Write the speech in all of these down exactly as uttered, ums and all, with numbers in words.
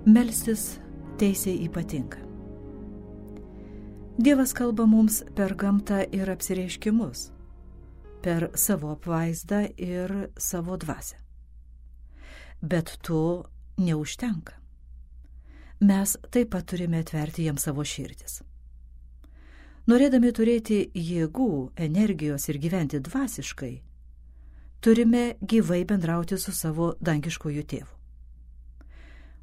Melstis teisė ypatinga. Dievas kalba mums per gamtą ir apsireiškimus, per savo apvaizdą ir savo dvasią. Bet to neužtenka. Mes taip pat turime atverti jam savo širdis. Norėdami turėti jėgų, energijos ir gyventi dvasiškai, turime gyvai bendrauti su savo dangiškoju tėvu.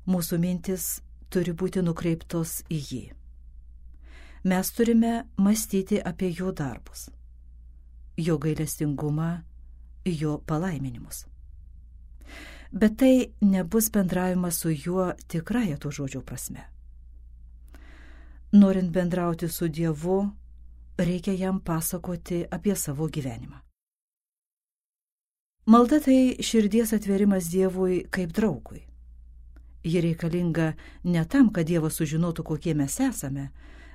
Mūsų mintis turi būti nukreiptos į jį. Mes turime mąstyti apie jo darbus, jo gailestingumą, jo palaiminimus. Bet tai nebus bendravimas su juo tikrąja to žodžio prasme. Norint bendrauti su Dievu, reikia jam pasakoti apie savo gyvenimą. Malda tai širdies atverimas Dievui kaip draugui. Ji reikalinga ne tam, kad Dievas sužinotų, kokie mes esame,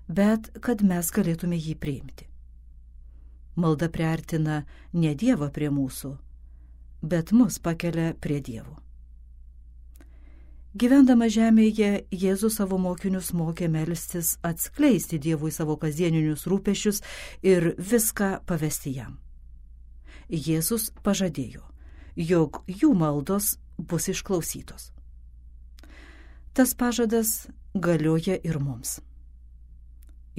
bet kad mes galėtume jį priimti. Malda priartina ne Dievą prie mūsų, bet mus pakelia prie Dievo. Gyvendama žemėje, Jėzus savo mokinius mokė melstis, atskleisti Dievui savo kasdieninius rūpesčius ir viską pavesti jam. Jėzus pažadėjo, jog jų maldos bus išklausytos. Tas pažadas galioja ir mums.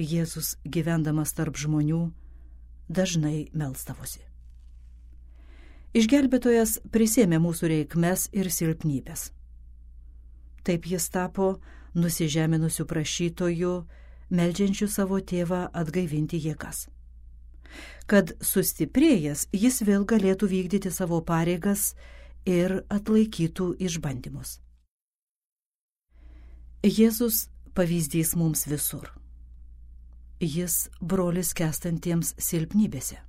Jėzus, gyvendamas tarp žmonių, dažnai melsdavosi. Išgelbėtojas prisėmė mūsų reikmes ir silpnybės. Taip jis tapo nusižeminusių prašytojų, meldžiančių savo tėvą atgaivinti jėgas. Kad sustiprėjęs, jis vėl galėtų vykdyti savo pareigas ir atlaikytų išbandymus. Jėzus pavyzdys mums visur. Jis brolis kęstantiems silpnybėse.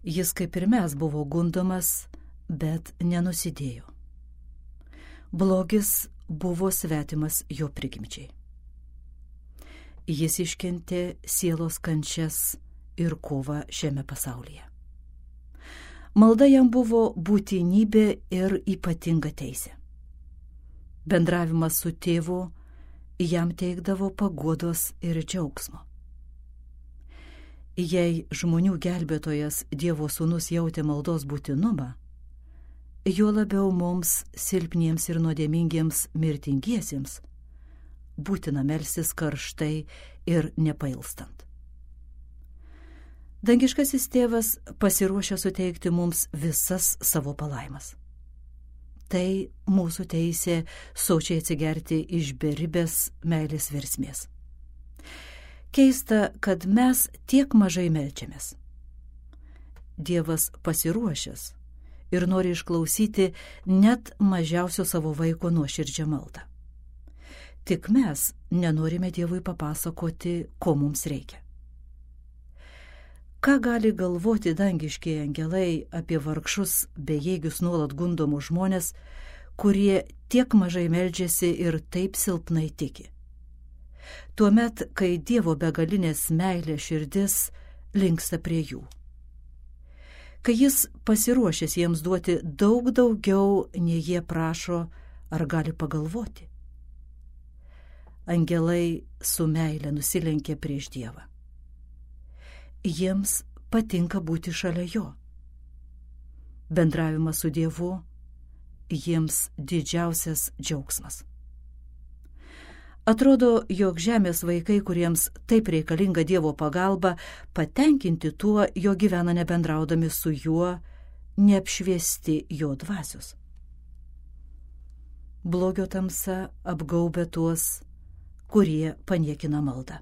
Jis kaip ir mes buvo gundomas, bet nenusidėjo. Blogis buvo svetimas jo prigimčiai. Jis iškentė sielos kančias ir kovą šiame pasaulyje. Malda jam buvo būtinybė ir ypatinga teisė. Bendravimas su tėvu jam teikdavo paguodos ir džiaugsmo. Jei žmonių gelbėtojas Dievo sūnus jautė maldos būtinumą, juo labiau mums, silpniems ir nuodėmingiems mirtingiesiems, būtina melstis karštai ir nepailstant. Dangiškasis tėvas pasiruošia suteikti mums visas savo palaimas. Tai mūsų teisė sočiai atsigerti iš beribės meilės versmės. Keista, kad mes tiek mažai meldžiamės. Dievas pasiruošęs ir nori išklausyti net mažiausio savo vaiko nuoširdžią maldą. Tik mes nenorime Dievui papasakoti, ko mums reikia. Ką gali galvoti dangiškieji angelai apie vargšus, bejėgius nuolat gundomus žmonės, kurie tiek mažai meldžiasi ir taip silpnai tiki? Tuomet, kai Dievo begalinės meilės širdis linksta prie jų. Kai jis pasiruošęs jiems duoti daug daugiau, nei jie prašo ar gali pagalvoti. Angelai su meile nusilenkė prieš Dievą. Jiems patinka būti šalia jo. Bendravimas su Dievu jiems didžiausias džiaugsmas. Atrodo, jog žemės vaikai, kuriems taip reikalinga Dievo pagalba, patenkinti tuo, jo gyvena nebendraudami su juo, neapšviesti jo dvasios. Blogio tamsa apgaubia tuos, kurie paniekina maldą.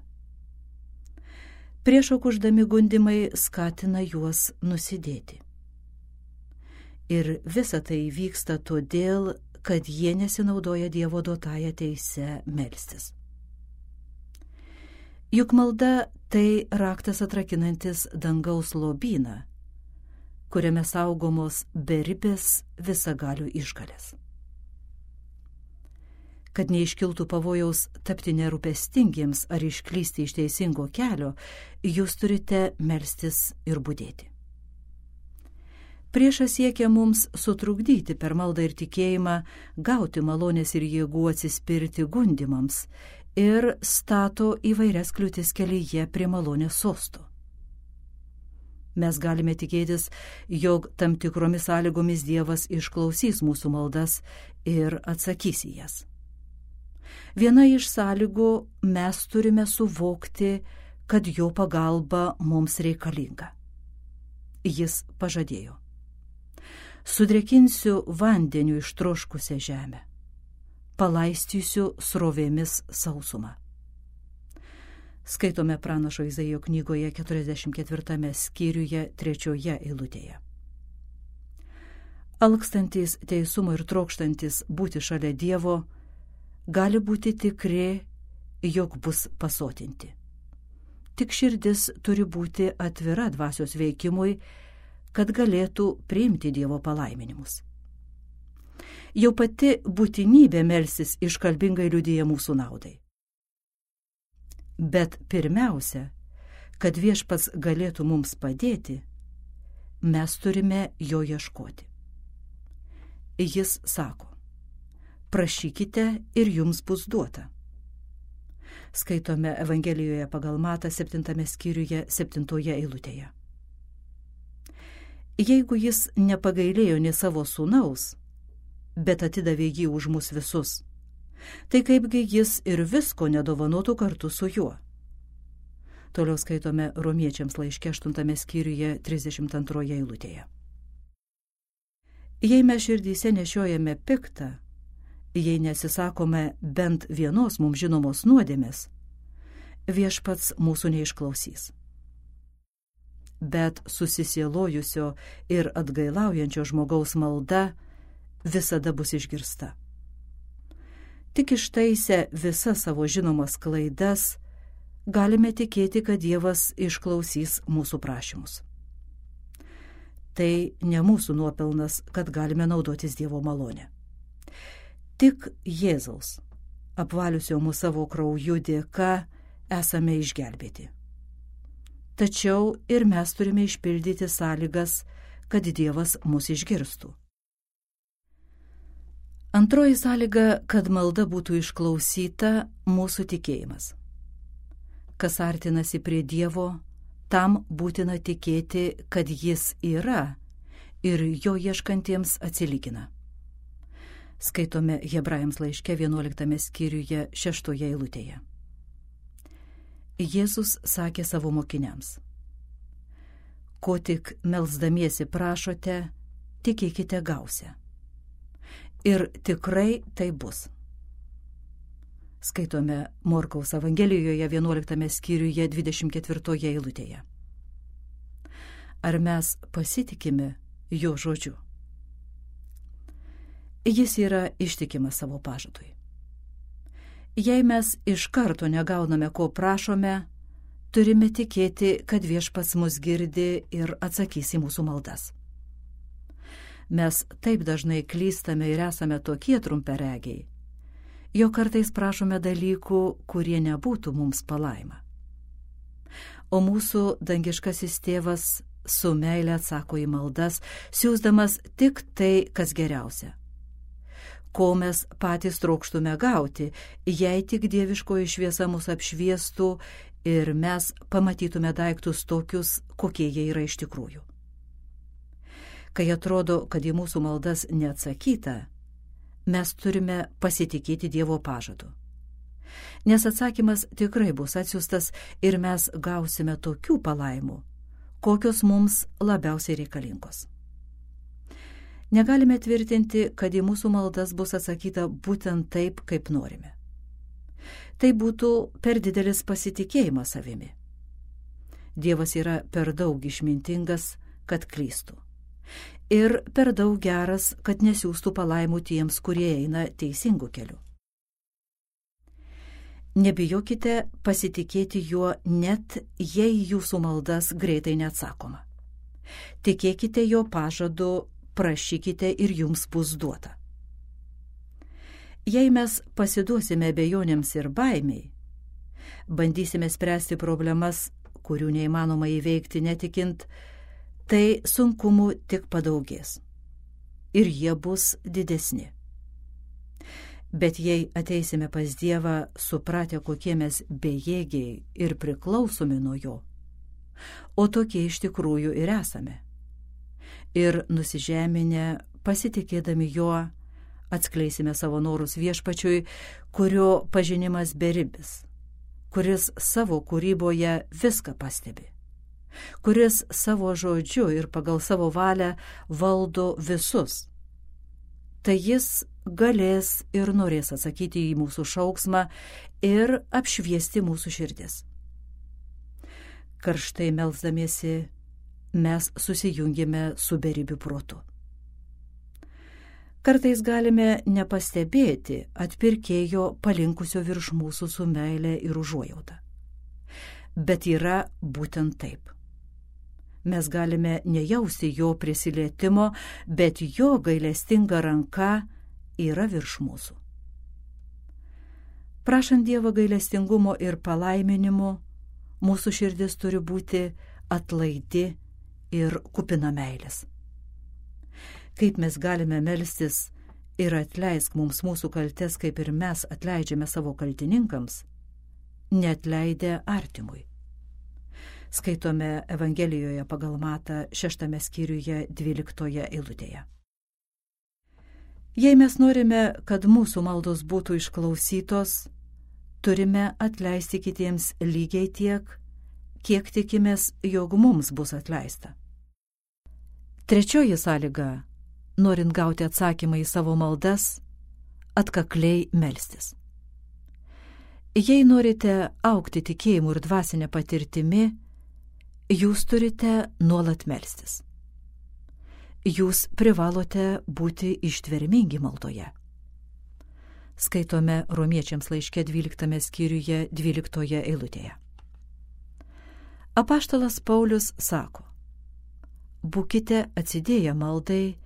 Priešo kuždami gundimai skatina juos nusidėti. Ir visa tai vyksta todėl, kad jie nesinaudoja Dievo duotąją teisę melstis. Juk malda tai raktas atrakinantis dangaus lobyną, kuriame saugomos beribės visagalių išgalės. Kad neiškiltų pavojaus tapti nerūpestingiems ar išklysti iš teisingo kelio, jūs turite melstis ir budėti. Priešas siekia mums sutrukdyti per maldą ir tikėjimą, gauti malonės ir jėgų atsispirti gundimams ir stato įvairias kliūtis kelyje prie malonės sosto. Mes galime tikėtis, jog tam tikromis sąlygomis Dievas išklausys mūsų maldas ir atsakys į jas. Viena iš sąlygų mes turime suvokti, kad jo pagalba mums reikalinga. Jis pažadėjo: sudrėkinsiu vandeniu ištroškusią žemę, palaistysiu srovėmis sausumą. Skaitome pranašo Izaijo knygoje keturiasdešimt ketvirtame skyriuje trečioje eilutėje. Alkstantys teisumo ir trokštantis būti šalia Dievo gali būti tikri, jog bus pasotinti. Tik širdis turi būti atvira dvasios veikimui, kad galėtų priimti Dievo palaiminimus. Jau pati būtinybė melstis iškalbingai liudija mūsų naudai. Bet pirmiausia, kad Viešpats galėtų mums padėti, mes turime jo ieškoti. Jis sako: prašykite ir jums bus duota. Skaitome Evangelijoje pagal Matą septintame skyriuje septintoje eilutėje. Jeigu jis nepagailėjo nė savo sūnaus, bet atidavė jį už mus visus, tai kaipgi jis ir visko nedovanotų kartu su juo. Toliau skaitome Romiečiams laiške aštuntame skyriuje trisdešimt antroje eilutėje. Jei mes širdyse nešiojame piktą, jei nesisakome bent vienos mums žinomos nuodėmės, Viešpats mūsų neišklausys. Bet susisielojusio ir atgailaujančio žmogaus malda visada bus išgirsta. Tik ištaisę visas savo žinomas klaidas, galime tikėti, kad Dievas išklausys mūsų prašymus. Tai ne mūsų nuopelnas, kad galime naudotis Dievo malonę. Tik Jėzaus, apvaliusio mūsų savo krauju dėka, esame išgelbėti. Tačiau ir mes turime išpildyti sąlygas, kad Dievas mus išgirstų. Antroji sąlyga, kad malda būtų išklausyta, mūsų tikėjimas. Kas artinasi prie Dievo, tam būtina tikėti, kad Jis yra ir jo ieškantiems atsilygina. Skaitome Hebrajams laiške vienuoliktame skyriuje šeštoje eilutėje. Jėzus sakė savo mokiniams: ko tik melsdamiesi prašote, tikėkite gausią. Ir tikrai tai bus. Skaitome Morkaus Evangelijoje vienuoliktame skyriuje dvidešimt ketvirtoje eilutėje. Ar mes pasitikime jo žodžiu? Jis yra ištikimas savo pažadui. Jei mes iš karto negauname, ko prašome, turime tikėti, kad Viešpats mus girdi ir atsakys į mūsų maldas. Mes taip dažnai klystame ir esame tokie trumparegiai, jog kartais prašome dalykų, kurie nebūtų mums palaima. O mūsų dangiškasis tėvas su meile atsako į maldas, siųsdamas tik tai, kas geriausia. Ko mes patys trokštume gauti, jei tik dieviškoji šviesa mus apšviestų ir mes pamatytume daiktus tokius, kokie jie yra iš tikrųjų. Kai atrodo, kad į mūsų maldas neatsakyta, mes turime pasitikėti Dievo pažadu. Nes atsakymas tikrai bus atsiųstas ir mes gausime tokių palaimų, kokios mums labiausiai reikalingos. Negalime tvirtinti, kad į mūsų maldas bus atsakyta būtent taip, kaip norime. Tai būtų per didelis pasitikėjimas savimi. Dievas yra per daug išmintingas, kad klystų. Ir per daug geras, kad nesiųstų palaimų tiems, kurie eina teisingu keliu. Nebijokite pasitikėti juo, net jei jūsų maldas greitai neatsakoma. Tikėkite jo pažadu, prašykite ir jums bus duota. Jei mes pasiduosime abejonėms ir baimiai, bandysime spręsti problemas, kurių neįmanoma įveikti netikint, tai sunkumų tik padaugės ir jie bus didesni. Bet jei ateisime pas Dievą supratę, kokie mes bejėgiai ir priklausomi nuo jo, o tokie iš tikrųjų ir esame, ir nusižeminę pasitikėdami juo, atskleisime savo norus Viešpačiui, kurio pažinimas beribis, kuris savo kūryboje viską pastebi, kuris savo žodžiu ir pagal savo valią valdo visus. Tai jis galės ir norės atsakyti į mūsų šauksmą ir apšviesti mūsų širdis. Karštai melsdamiesi mes susijungime su beribiu protu. Kartais galime nepastebėti atpirkėjo palinkusio virš mūsų su meile ir užuojauta. Bet yra būtent taip. Mes galime nejausti jo prisilietimo, bet jo gailestinga ranka yra virš mūsų. Prašant Dievo gailestingumo ir palaiminimo, mūsų širdis turi būti atlaidi ir kupina meilės. Kaip mes galime melstis ir atleisk mums mūsų kaltes, kaip ir mes atleidžiame savo kaltininkams, neatleidę artimui. Skaitome Evangelijoje pagal Matą šeštame skyriuje dvyliktoje eilutėje. Jei mes norime, kad mūsų maldos būtų išklausytos, turime atleisti kitiems lygiai tiek, kiek tikimės, jog mums bus atleista. Trečioji sąlyga, norint gauti atsakymą į savo maldas, atkakliai melstis. Jei norite augti tikėjimu ir dvasinė patirtimi, jūs turite nuolat melstis. Jūs privalote būti ištvermingi maldoje. Skaitome Romiečiams laiške dvyliktame skyriuje dvyliktoje eilutėje. Apaštalas Paulius sako: būkite atsidėję maldai,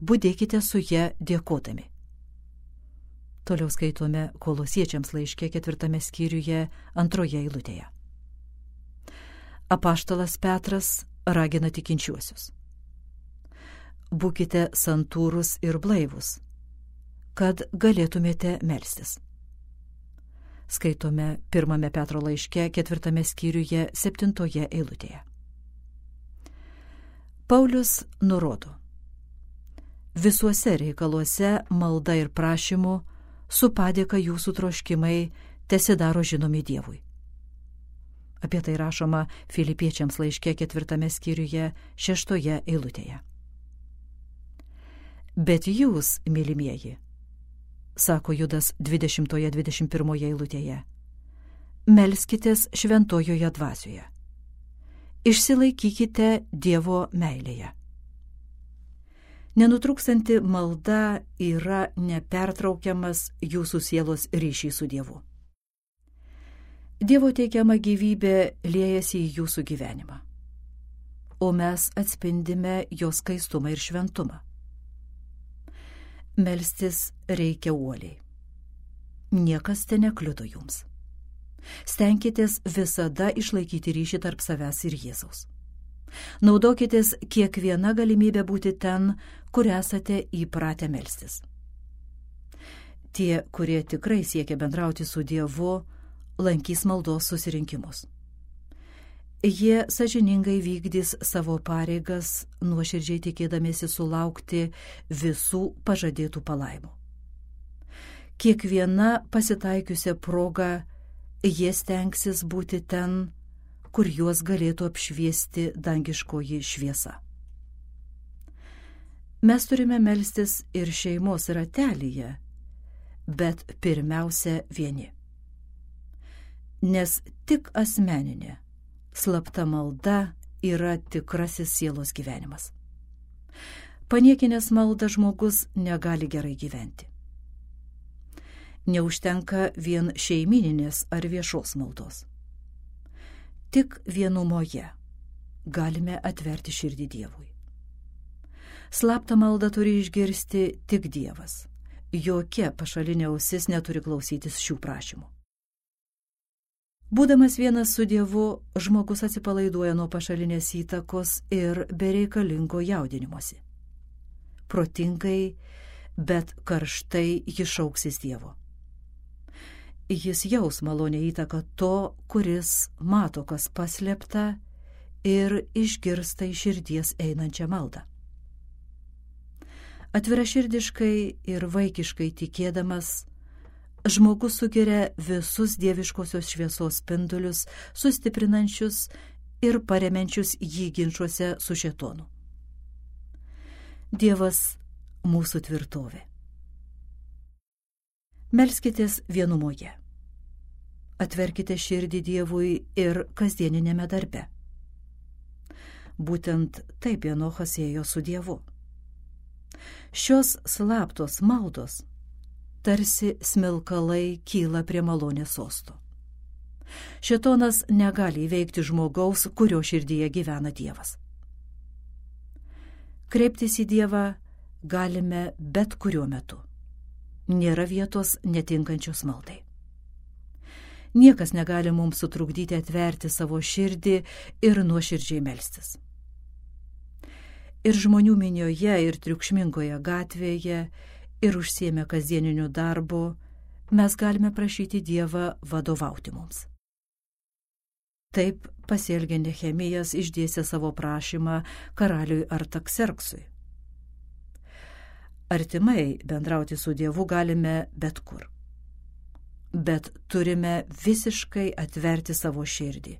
budėkite su ja dėkodami. Toliau skaitome Kolosiečiams laiške ketvirtame skyriuje antroje eilutėje. Apaštalas Petras ragina tikinčiuosius: būkite santūrūs ir blaivūs, kad galėtumėte melstis. Skaitome pirmame Petro laiške ketvirtame skyriuje septintoje eilutėje. Paulius nurodo: visuose reikaluose malda ir prašymu su padėka jūsų troškimai tesidaro žinomi Dievui. Apie tai rašoma Filipiečiams laiške ketvirtame skyriuje šeštoje eilutėje. Bet jūs, mylimieji, sako Judas dvidešimtoje dvidešimt pirmoje eilutėje, melskitės šventojoje dvasioje. Išsilaikykite Dievo meilėje. Nenutrūkstanti malda yra nepertraukiamas jūsų sielos ryšys su Dievu. Dievo teikiama gyvybė liejasi į jūsų gyvenimą, o mes atspindime jo skaistumą ir šventumą. Melstis reikia uoliai. Niekas te nekliudo jums. Stenkitės visada išlaikyti ryšį tarp savęs ir Jėzaus. Naudokitės kiekviena galimybė būti ten, kur esate įpratę melstis. Tie, kurie tikrai siekia bendrauti su Dievu, lankys maldos susirinkimus. Jie sąžiningai vykdys savo pareigas, nuoširdžiai tikėdamiesi sulaukti visų pažadėtų palaimų. Kiekviena pasitaikiusia proga jie stengsis būti ten, kur juos galėtų apšviesti dangiškoji šviesa. Mes turime melstis ir šeimos ratelyje, bet pirmiausia vieni. Nes tik asmeninė, slapta malda yra tikrasis sielos gyvenimas. Paniekinęs maldą žmogus negali gerai gyventi. Neužtenka vien šeimyninės ar viešos maldos. Tik vienumoje galime atverti širdį Dievui. Slaptą maldą turi išgirsti tik Dievas. Jokia pašalinė ausis neturi klausytis šių prašymų. Būdamas vienas su Dievu, žmogus atsipalaiduoja nuo pašalinės įtakos ir bereikalingo jaudinimosi. Protingai, bet karštai jis šauksis Dievo. Jis jaus malonę įtaką to, kuris mato, kas paslėpta, ir išgirsta iš širdies einančią maldą. Atviraširdiškai ir vaikiškai tikėdamas, žmogus sugeria visus dieviškosios šviesos spindulius, sustiprinančius ir paremiančius jį ginčuose su šėtonu. Dievas mūsų tvirtovė. Melskitės vienumoje. Atverkite širdį Dievui ir kasdieninėme darbe. Būtent taip Enochas ėjo su Dievu. Šios slaptos maldos tarsi smilkalai kyla prie malonės sosto. Šėtonas negali įveikti žmogaus, kurio širdyje gyvena Dievas. Kreiptis į Dievą galime bet kuriuo metu. Nėra vietos netinkančios maldai. Niekas negali mums sutrukdyti atverti savo širdį ir nuoširdžiai melstis. Ir žmonių minioje, ir triukšmingoje gatvėje, ir užsiėmę kasdieniniu darbu, mes galime prašyti Dievą vadovauti mums. Taip pasielgė Nehemijas išdėstė savo prašymą karaliui Artakserksui. Artimai bendrauti su Dievu galime bet kur. Bet turime visiškai atverti savo širdį,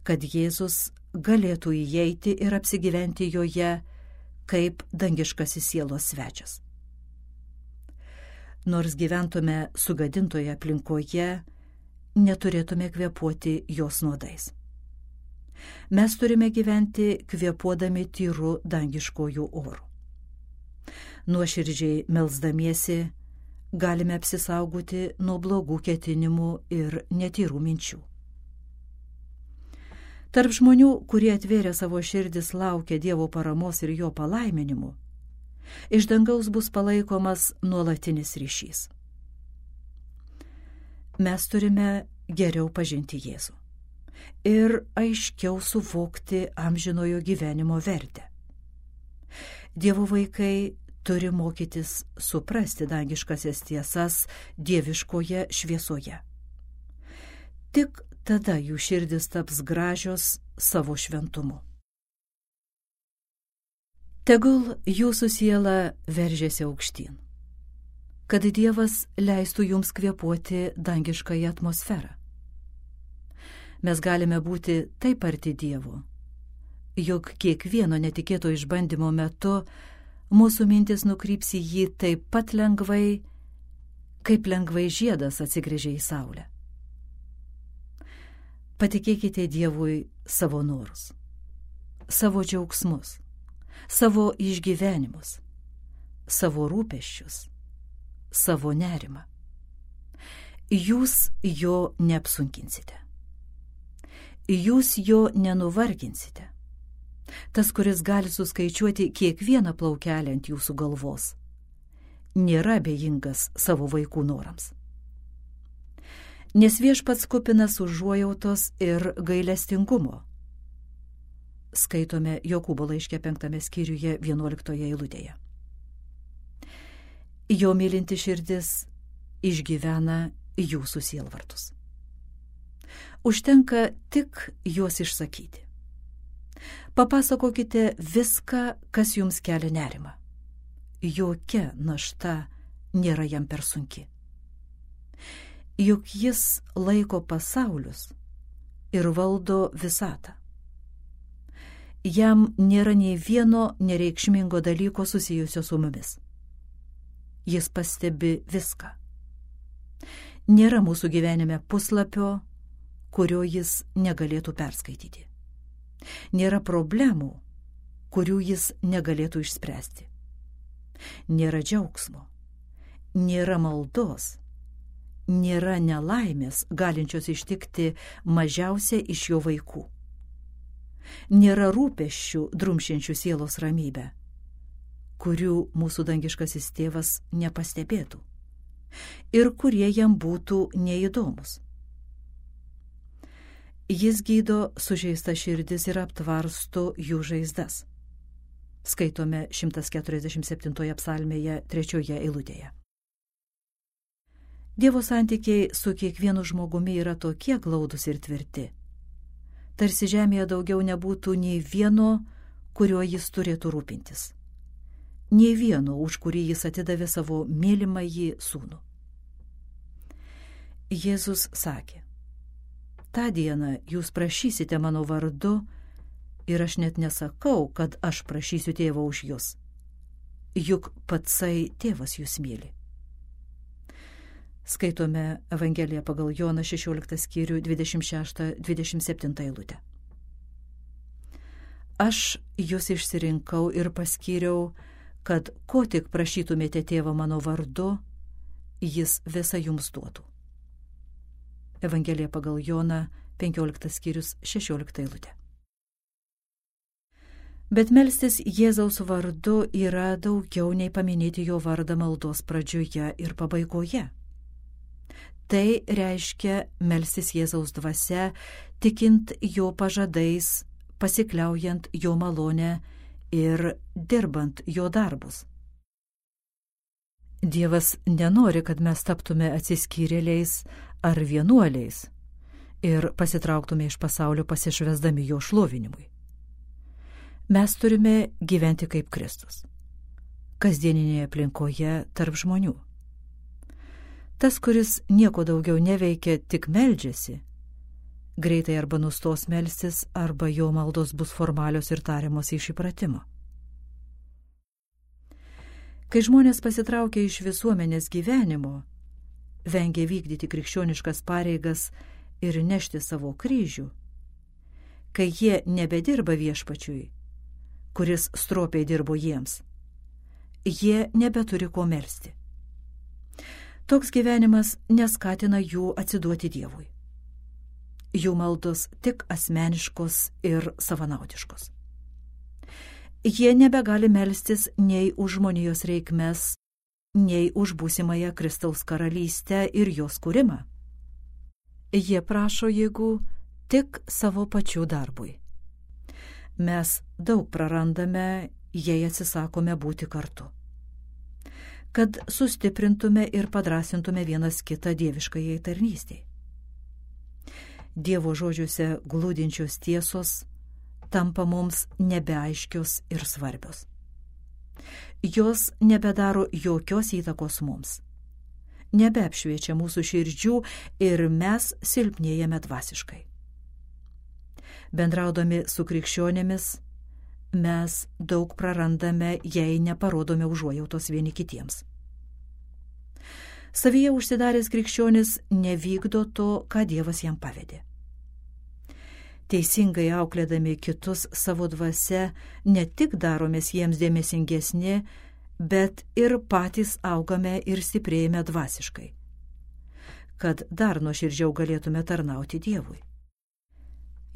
kad Jėzus galėtų įeiti ir apsigyventi joje kaip dangiškasis sielos svečias. Nors gyventume sugadintoje aplinkoje, neturėtume kvėpuoti jos nuodais. Mes turime gyventi kvėpuodami tyru dangiškojų orų. Nuoširdžiai melsdamiesi galime apsisaugoti nuo blogų ketinimų ir netyrų minčių. Tarp žmonių, kurie atvėrė savo širdis, laukia Dievo paramos ir jo palaiminimų, iš dangaus bus palaikomas nuolatinis ryšys. Mes turime geriau pažinti Jėzų ir aiškiau suvokti amžinojo gyvenimo vertę. Dievo vaikai turi mokytis suprasti dangiškasias tiesas dieviškoje šviesoje. Tik tada jų širdis taps gražios savo šventumu. Tegul jūsų siela veržiasi aukštyn, kad Dievas leistų jums kvėpuoti dangiškąją atmosferą. Mes galime būti taip arti Dievo, jog kiekvieno netikėto išbandymo metu mūsų mintis nukryps į jį taip pat lengvai, kaip lengvai žiedas atsigręžia į saulę. Patikėkite Dievui savo norus, savo džiaugsmus, savo išgyvenimus, savo rūpesčius, savo nerimą. Jūs jo neapsunkinsite. Jūs jo nenuvarginsite. Tas, kuris gali suskaičiuoti kiekvieną plaukelę ant jūsų galvos, nėra abejingas savo vaikų norams. Nes Viešpats kupinas užuojautos ir gailestingumo. Skaitome Jokūbo laiške penktame skyriuje vienuoliktoje eilutėje. Jo mylinti širdis išgyvena jūsų sielvartus. Užtenka tik juos išsakyti. Papasakokite viską, kas jums kelia nerimą. Jokia našta nėra jam per sunki. Juk jis laiko pasaulius ir valdo visatą. Jam nėra nei vieno nereikšmingo dalyko susijusio su mumis. Jis pastebi viską. Nėra mūsų gyvenime puslapio, kurio jis negalėtų perskaityti. Nėra problemų, kurių jis negalėtų išspręsti. Nėra džiaugsmo, nėra maldos, nėra nelaimės, galinčios ištikti mažiausia iš jo vaikų. Nėra rūpesčių drumšiančių sielos ramybę, kurių mūsų dangiškasis tėvas nepastebėtų ir kurie jam būtų neįdomus. Jis gydo sužeistą širdis ir aptvarsto jų žaizdas. Skaitome šimtas keturiasdešimt septintoje psalmėje trečioje eilutėje. Dievo santykiai su kiekvienu žmogumi yra tokie glaudus ir tvirti. Tarsi žemėje daugiau nebūtų nei vieno, kuriuo jis turėtų rūpintis. Nei vieno, už kurį jis atidavė savo mylimąjį sūnų. Jėzus sakė: tą dieną jūs prašysite mano vardu ir aš net nesakau, kad aš prašysiu tėvą už jūs. Juk patsai tėvas jūs myli. Skaitome Evangeliją pagal Joną šešioliktą skyrių dvidešimt šeštą dvidešimt septintą eilutę. Aš jūs išsirinkau ir paskyriau, kad ko tik prašytumėte tėvą mano vardu, jis visą jums duotų. Evangelija pagal Joną penkioliktas skyrius šešiolikta eilutė. Bet melstis Jėzaus vardu yra daugiau nei paminėti jo vardą maldos pradžioje ir pabaigoje. Tai reiškia melstis Jėzaus dvasia, tikint jo pažadais, pasikliaujant jo malonę ir dirbant jo darbus. Dievas nenori, kad mes taptume atsiskyrėliais ar vienuoliais ir pasitrauktume iš pasaulio pasišvesdami jo šlovinimui. Mes turime gyventi kaip Kristus, kasdieninėje aplinkoje tarp žmonių. Tas, kuris nieko daugiau neveikia, tik meldžiasi, greitai arba nustos melstis, arba jo maldos bus formalios ir tariamos iš įpratimo. Kai žmonės pasitraukia iš visuomenės gyvenimo, vengia vykdyti krikščioniškas pareigas ir nešti savo kryžių, kai jie nebedirba viešpačiui, kuris stropiai dirbo jiems, jie nebeturi ko melsti. Toks gyvenimas neskatina jų atsiduoti Dievui. Jų maldos tik asmeniškos ir savanaudiškos. Jie nebegali melstis nei už žmonijos reikmes, nei už būsimąją Kristaus karalystę ir jos kūrimą. Jie prašo jėgų tik savo pačių darbui. Mes daug prarandame, jei atsisakome būti kartu. Kad sustiprintume ir padrasintume vienas kitą dieviškajai tarnystei. Dievo žodžiuose glūdinčios tiesos tampa mums nebeaiškios ir svarbios. Jos nebedaro jokios įtakos mums, nebeapšviečia mūsų širdžių ir mes silpnėjame dvasiškai. Bendraudami su krikščionėmis, mes daug prarandame, jei neparodome užuojautos vieni kitiems. Savyje užsidaręs krikščionis nevykdo to, ką Dievas jam pavedė. Teisingai auklėdami kitus savo dvasia, ne tik daromės jiems dėmesingesni, bet ir patys augame ir stiprėjame dvasiškai, kad dar nuoširdžiau galėtume tarnauti Dievui.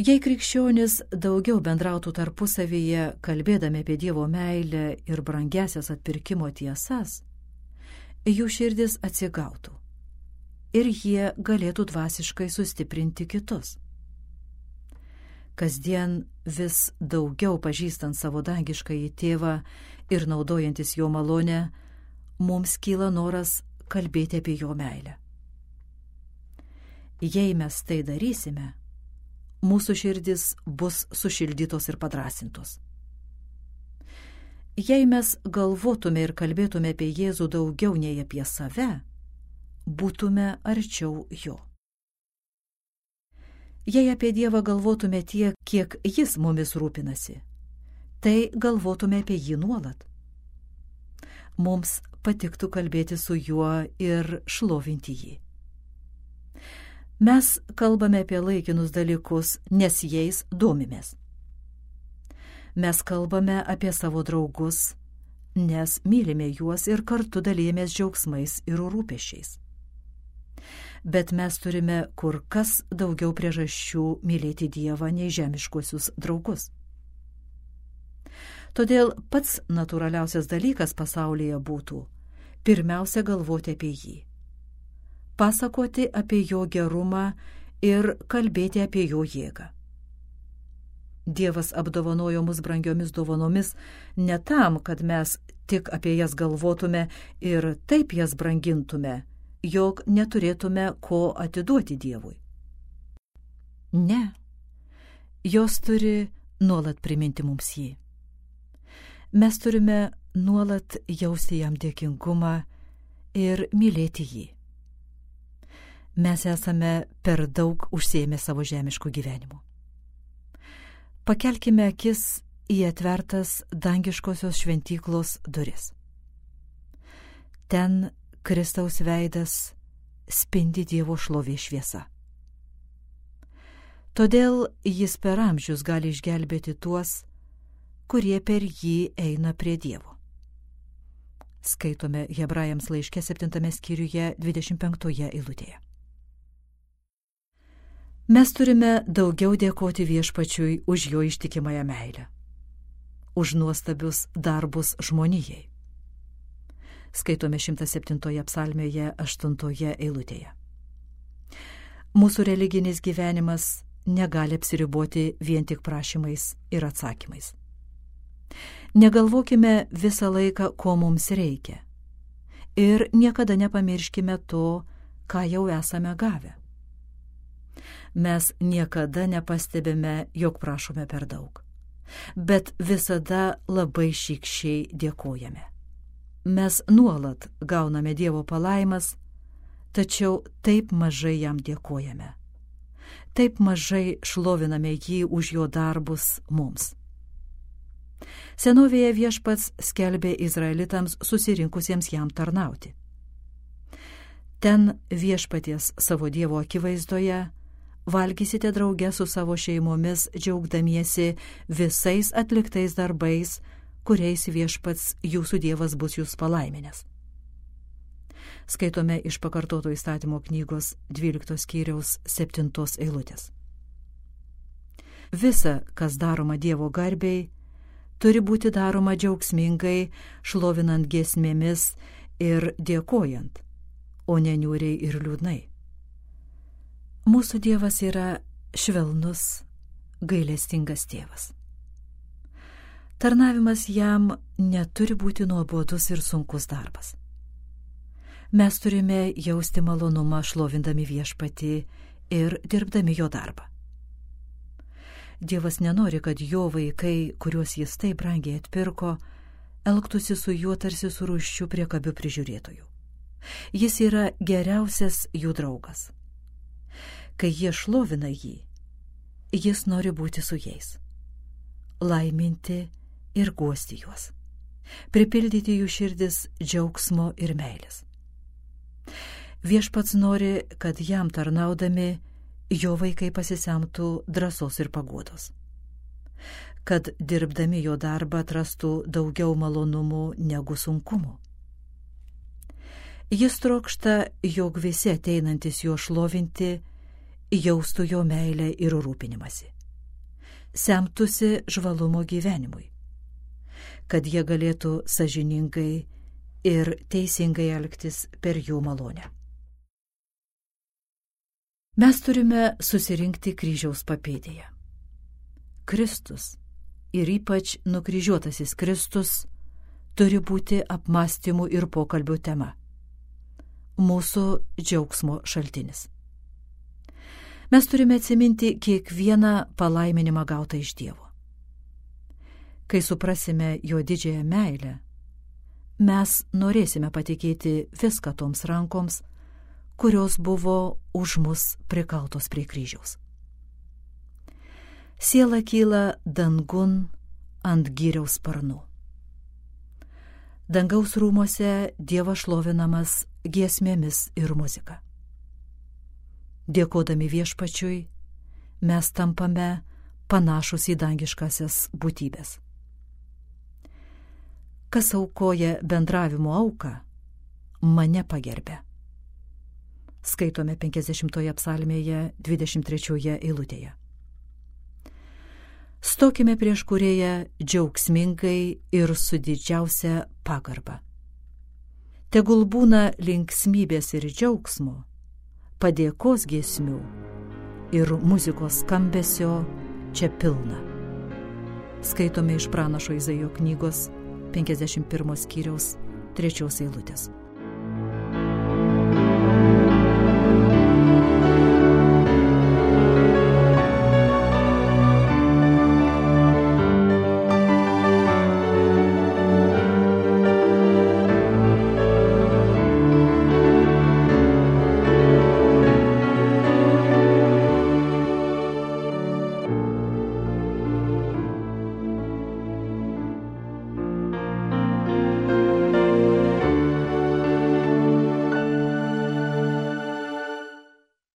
Jei krikščionis daugiau bendrautų tarpusavyje, kalbėdami apie Dievo meilę ir brangiasias atpirkimo tiesas, jų širdis atsigautų ir jie galėtų dvasiškai sustiprinti kitus. Kasdien vis daugiau pažįstant savo dangiškąjį tėvą ir naudojantis jo malonę, mums kyla noras kalbėti apie jo meilę. Jei mes tai darysime, mūsų širdis bus sušildytos ir padrasintos. Jei mes galvotume ir kalbėtume apie Jėzų daugiau nei apie save, būtume arčiau jo. Jei apie Dievą galvotume tiek, kiek jis mumis rūpinasi, tai galvotume apie jį nuolat. Mums patiktų kalbėti su juo ir šlovinti jį. Mes kalbame apie laikinus dalykus, nes jais domimės. Mes kalbame apie savo draugus, nes mylime juos ir kartu dalijamės džiaugsmais ir rūpesčiais. Bet mes turime kur kas daugiau priežasčių mylėti Dievą nei žemiškuosius draugus. Todėl pats natūraliausias dalykas pasaulyje būtų pirmiausia galvoti apie jį, pasakoti apie jo gerumą ir kalbėti apie jo jėgą. Dievas apdovanojo mus brangiomis dovanomis ne tam, kad mes tik apie jas galvotume ir taip jas brangintume, jog neturėtume ko atiduoti Dievui. Ne, jos turi nuolat priminti mums jį. Mes turime nuolat jausti jam dėkingumą ir mylėti jį. Mes esame per daug užsiėmę savo žemiškų gyvenimų. Pakelkime akis į atvertas dangiškosios šventyklos duris. Ten Kristaus veidas spindi Dievo šlovės šviesa. Todėl jis per amžius gali išgelbėti tuos, kurie per jį eina prie Dievo. Skaitome Hebrajams laiške septintame skyriuje dvidešimt penktoje eilutėje. Mes turime daugiau dėkoti Viešpačiui už jo ištikimąją meilę, už nuostabius darbus žmonijai. Skaitome šimtas septintoje psalmėje aštuntoje eilutėje. Mūsų religinis gyvenimas negali apsiriboti vien tik prašymais ir atsakymais. Negalvokime visą laiką, ko mums reikia, ir niekada nepamirškime to, ką jau esame gavę. Mes niekada nepastebime, jog prašome per daug, bet visada labai šykščiai dėkojame. Mes nuolat gauname Dievo palaimas, tačiau taip mažai jam dėkojame. Taip mažai šloviname jį už jo darbus mums. Senovėje Viešpats skelbė Izraelitams susirinkusiems jam tarnauti. Ten Viešpaties savo Dievo akivaizdoje valgysite drauge su savo šeimomis, džiaugdamiesi visais atliktais darbais, kuriais Viešpats jūsų Dievas bus jūs palaiminęs. Skaitome iš pakartoto įstatymo knygos dvyliktos skyriaus septintos eilutės. Visa, kas daroma Dievo garbei, turi būti daroma džiaugsmingai, šlovinant giesmėmis ir dėkojant, o ne niūriai ir liūdnai. Mūsų Dievas yra švelnus, gailestingas tėvas. Tarnavimas jam neturi būti nuobodus ir sunkus darbas. Mes turime jausti malonumą šlovindami Viešpatį ir dirbdami jo darbą. Dievas nenori, kad jo vaikai, kuriuos jis taip brangiai atpirko, elgtųsi su juo tarsi su rūsčiu priekabiu prižiūrėtoju. Jis yra geriausias jų draugas. Kai jie šlovina jį, jis nori būti su jais, laiminti ir guosti juos, pripildyti jų širdis džiaugsmo ir meilės. Viešpats nori, kad jam tarnaudami jo vaikai pasisemtų drąsos ir paguodos, kad dirbdami jo darbą atrastų daugiau malonumų negu sunkumų. Jis trokšta, jog visi ateinantis jo šlovinti jaustų jo meilę ir rūpinimąsi, semtųsi žvalumo gyvenimui, kad jie galėtų sąžiningai ir teisingai elgtis per jų malonę. Mes turime susirinkti kryžiaus papėdėje. Kristus ir ypač nukryžiuotasis Kristus turi būti apmąstymų ir pokalbių tema, mūsų džiaugsmo šaltinis. Mes turime atsiminti kiekvieną palaiminimą gautą iš Dievo. Kai suprasime jo didžiąją meilę, mes norėsime patikėti viską toms rankoms, kurios buvo už mus prikaltos prie kryžiaus. Siela kyla dangun ant giriaus sparnų. Dangaus rūmose Dievas šlovinamas giesmėmis ir muzika. Dėkodami Viešpačiui, mes tampame panašus į dangiškasias būtybės. Kas aukoja bendravimo auką, mane pagerbė. Skaitome penkiasdešimtoje psalmėje dvidešimt trečioje eilutėje. Stokime prieš Kūrėją džiaugsmingai ir su didžiausia pagarba. Tegul būna linksmybės ir džiaugsmo, padėkos giesmių, ir muzikos skambesio čia pilna. Skaitome iš pranašo Izaijo knygos penkiasdešimt pirmo skyriaus trečios eilutės.